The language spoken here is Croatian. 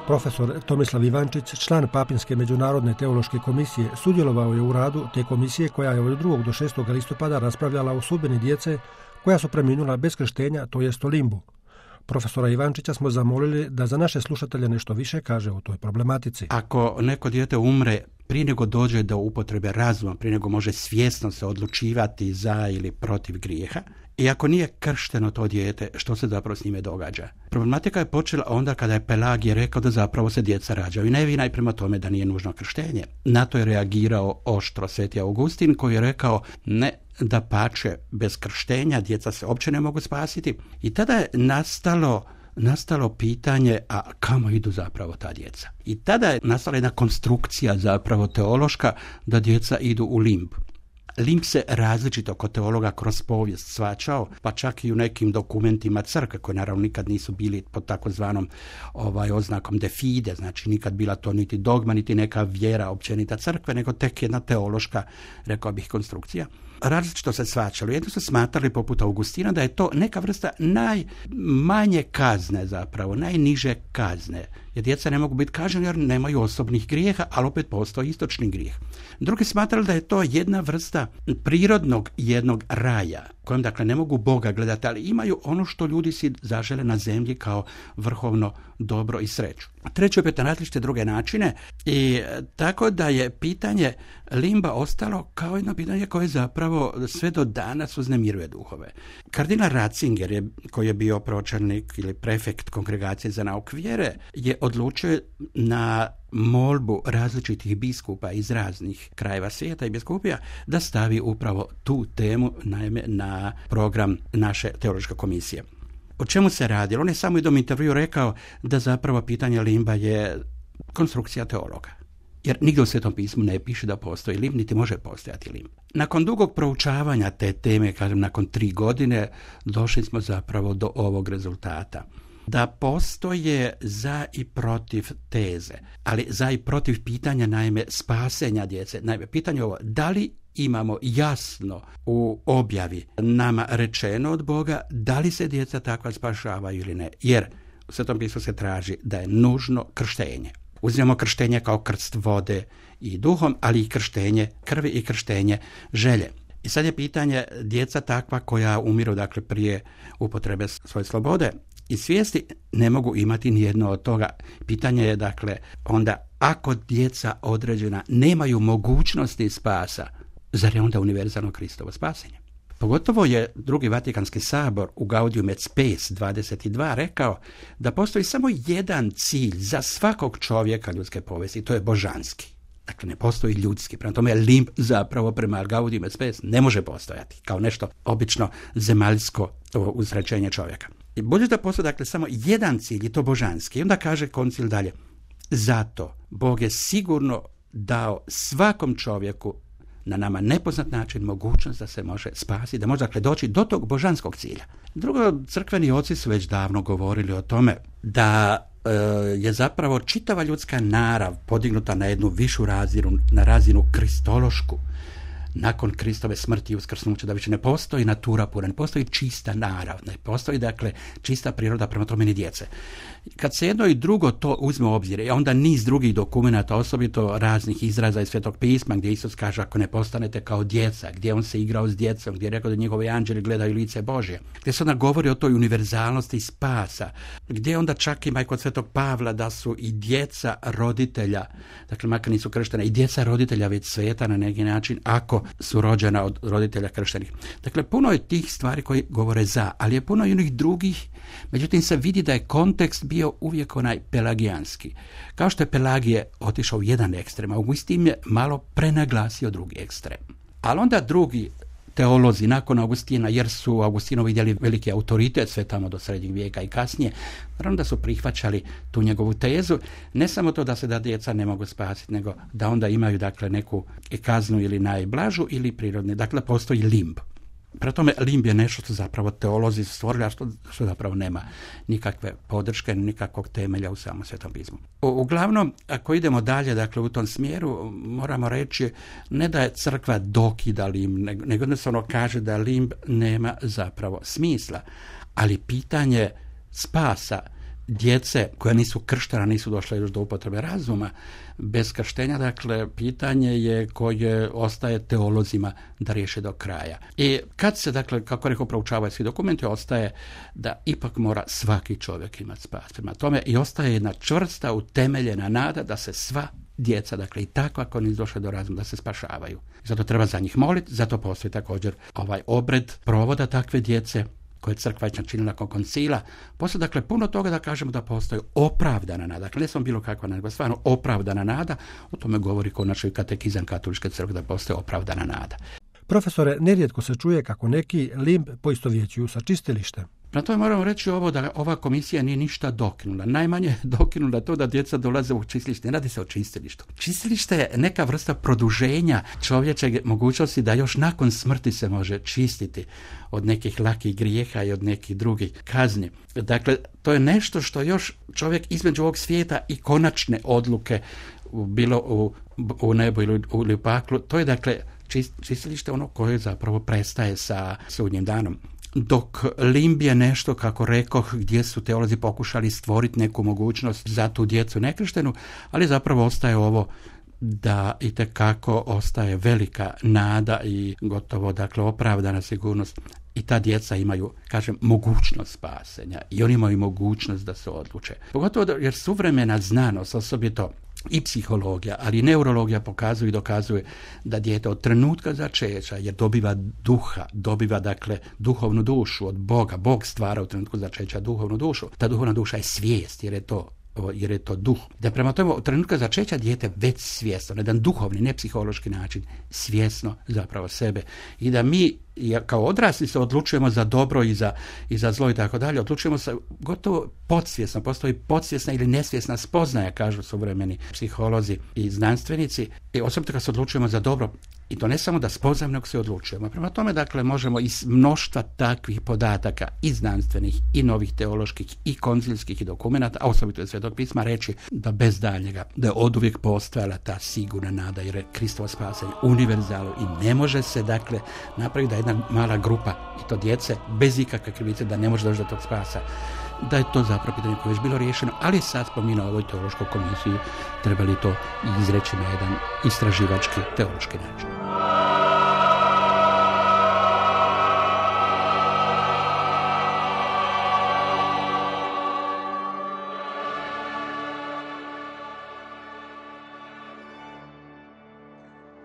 Profesor Tomislav Ivančić, član Papinske međunarodne teološke komisije, sudjelovao je u radu te komisije koja je od 2. do 6. listopada raspravljala o sudbini djece koja su preminula bez krštenja, to jest o limbu. Profesora Ivančića smo zamolili da za naše slušatelje nešto više kaže o toj problematici. Ako neko dijete umre prije nego dođe do upotrebe razuma, prije nego može svjesno se odlučivati za ili protiv grijeha, i ako nije kršteno to dijete, što se zapravo s njime događa? Problematika je počela onda kada je Pelagije rekao da zapravo se djeca rađaju nevina i prema tome da nije nužno krštenje. Na to je reagirao oštro sveti Augustin koji je rekao ne, dapače, bez krštenja djeca se uopće ne mogu spasiti. I tada je nastalo pitanje, a kamo idu zapravo ta djeca? I tada je nastala jedna konstrukcija zapravo teološka da djeca idu u limb. Limb se različito kod teologa kroz povijest shvaćao, pa čak i u nekim dokumentima crkve, koji naravno nikad nisu bili pod takozvanom oznakom de fide, znači nikad bila to niti dogma, niti neka vjera općenita crkve, nego tek jedna teološka, rekao bih, konstrukcija. Različito se shvaćalo. Jedno su smatrali poput Augustina da je to neka vrsta najmanje kazne zapravo, najniže kazne. Jer djeca ne mogu biti kažnjeni jer nemaju osobnih grijeha, ali opet postoji istočni grijeh. Drugi smatrali da je to jedna vrsta prirodnog jednog raja, kojem dakle ne mogu Boga gledati, ali imaju ono što ljudi si zažele na zemlji kao vrhovno dobro i sreću. Treće opet na različite druge načine i tako da je pitanje limba ostalo kao jedno pitanje koje zapravo sve do danas uznemiruje duhove. Kardinal Ratzinger, koji je bio pročelnik ili prefekt Kongregacije za nauk vjere, je odlučio na molbu različitih biskupa iz raznih krajeva svijeta i biskupija da stavi upravo tu temu naime na program naše teološke komisije. O čemu se radi? On je samo u jednom intervju rekao da zapravo pitanje limba je konstrukcija teologa. Jer nigdje u Svetom pismu ne piše da postoji limb, niti može postojati limb. Nakon dugog proučavanja te teme, kažem nakon 3 godine, došli smo zapravo do ovog rezultata. Da postoje za i protiv teze, ali za i protiv pitanja naime spasenja djece. Naime, pitanje ovo, da li imamo jasno u objavi nama rečeno od Boga da li se djeca takva spašavaju ili ne. Jer u Svetom pismu se traži da je nužno krštenje. Uzmemo krštenje kao krst vode i duhom, ali i krštenje krvi i krštenje želje. I sad je pitanje djeca takva koja umiru dakle prije upotrebe svoje slobode i svijesti ne mogu imati nijedno od toga. Pitanje je dakle onda ako djeca određena nemaju mogućnosti spasa, zar je onda univerzalno Kristovo spasenje? Pogotovo je Drugi Vatikanski sabor u Gaudium et Spes 22 rekao da postoji samo jedan cilj za svakog čovjeka ljudske povijesti, to je božanski. Dakle, ne postoji ljudski. Prema tome, limb zapravo prema Gaudium et Spes ne može postojati kao nešto obično zemaljsko uzrećenje čovjeka. I bolje da postoji dakle samo jedan cilj, i to božanski. I onda kaže koncil dalje, zato Bog je sigurno dao svakom čovjeku na nama nepoznat način mogućnost da se može spasiti, da može dakle doći do tog božanskog cilja. Drugo, crkveni oci su već davno govorili o tome da je zapravo čitava ljudska narav podignuta na jednu višu razinu, na razinu kristološku. Nakon Kristove smrti i uskrsnuća, da više ne postoji natura pura, ne postoji čista narav, ne postoji dakle čista priroda prema tome ni djece. Kad se jedno i drugo to uzme u obzir, onda niz drugih dokumenata, osobito raznih izraza iz Svetog pisma, gdje Isus kaže ako ne postanete kao djeca, gdje on se igrao s djecom, gdje je rekao da njegovi anđeli gledaju lice Božje, gdje se onda govori o toj univerzalnosti spasa, gdje onda čak ima i kod Svetog Pavla da su i djeca roditelja, dakle makar nisu krštena, i djeca roditelja već sveta na neki način ako su rođena od roditelja krštenih. Dakle, puno je tih stvari koji govore za, ali je puno i onih drugih. Međutim, se vidi da je kontekst bio uvijek onaj pelagijanski. Kao što je Pelagije otišao u jedan ekstrem, Augustin je malo prenaglasio drugi ekstrem. Ali onda drugi teolozi nakon Augustina, jer su Augustinovi vidjeli veliki autoritet sve tamo do srednjeg vijeka i kasnije, naravno da su prihvaćali tu njegovu tezu, ne samo to da se da djeca ne mogu spasiti, nego da onda imaju dakle neku kaznu ili najblažu ili prirodni, dakle postoji limb. Prema tome, limb je nešto što zapravo teolozi stvorili, a što zapravo nema nikakve podrške, nikakvog temelja u samom Svetom pismu. Uglavnom, ako idemo dalje, dakle, u tom smjeru, moramo reći ne da je crkva dokida limb, nego jednostavno kaže da limb nema zapravo smisla. Ali pitanje spasa djece koja nisu krštena, nisu došla još do upotrebe razuma, bez krštenja, dakle, pitanje je koje ostaje teolozima da riješe do kraja. I kad se, dakle, kako rekao, proučavaju svi dokumenti, ostaje da ipak mora svaki čovjek imati spas. Prema tome i ostaje jedna čvrsta, utemeljena nada da se sva djeca, dakle i tako ako nisu došle do razuma, da se spašavaju. Zato treba za njih moliti, zato postoji također ovaj obred provoda takve djece koje je crkva načinila nakon koncila. Postoji dakle puno toga da kažemo da postoji opravdana nada. Dakle, ne samo bilo kakva nada, nego stvarno opravdana nada. O tome govori konačno i katekizam katoličke crkve da postoji opravdana nada. Profesore, nerijetko se čuje kako neki limb poistovjećuju sa čistilištem. Na to moramo reći ovo da ova komisija nije ništa dokinula. Najmanje dokinula to da djeca dolaze u čistilište. Ne radi se o čistilištu. Čistilište je neka vrsta produženja čovječeg mogućnosti da još nakon smrti se može čistiti od nekih lakih grijeha i od nekih drugih kazni. Dakle, to je nešto što još čovjek između ovog svijeta i konačne odluke bilo u nebu ili u paklu. To je dakle čistilište ono koje zapravo prestaje sa sudnjim danom. Dok limb je nešto, kako rekoh, gdje su teolozi pokušali stvoriti neku mogućnost za tu djecu nekrštenu, ali zapravo ostaje ovo da itekako ostaje velika nada i gotovo, dakle, opravdana sigurnost. I ta djeca imaju, kažem, mogućnost spasenja i oni imaju mogućnost da se odluče. Pogotovo jer suvremena znanost, osobito i psihologija, ali i neurologija pokazuju i dokazuje da dijete od trenutka začeća jer dobiva duha, dobiva dakle duhovnu dušu od Boga. Bog stvara u trenutku začeća duhovnu dušu. Ta duhovna duša je svijest jer je to duh. Da prema tome u trenutku začeća dijete već svjesno, na jedan duhovni, ne psihološki način, svjesno zapravo sebe. I da mi kao odrasli se odlučujemo za dobro i za zlo i tako dalje, odlučujemo se gotovo podsvjesno, postoji podsvjesna ili nesvjesna spoznaja, kažu suvremeni psiholozi i znanstvenici, i osobito kad se odlučujemo za dobro, i to ne samo da spoznajemo, nego se odlučujemo. Prema tome, dakle, možemo iz mnoštva takvih podataka i znanstvenih, i novih teoloških, i koncilskih i dokumenata, a osobito iz Svetog pisma, reći da bez daljnjega, da je oduvijek postojala ta sigurna nada, jer je Kristovo spasenje univerzalno i ne može se, dakle, napraviti da jedna mala grupa, i to djece, bez ikakve krivice, da ne može doći do tog spasa. Da je to zapravo pitanje koje je već bilo riješeno, ali sad spominao ovoj teološkoj komisiji trebali to izreći na jedan istraživački teološki način.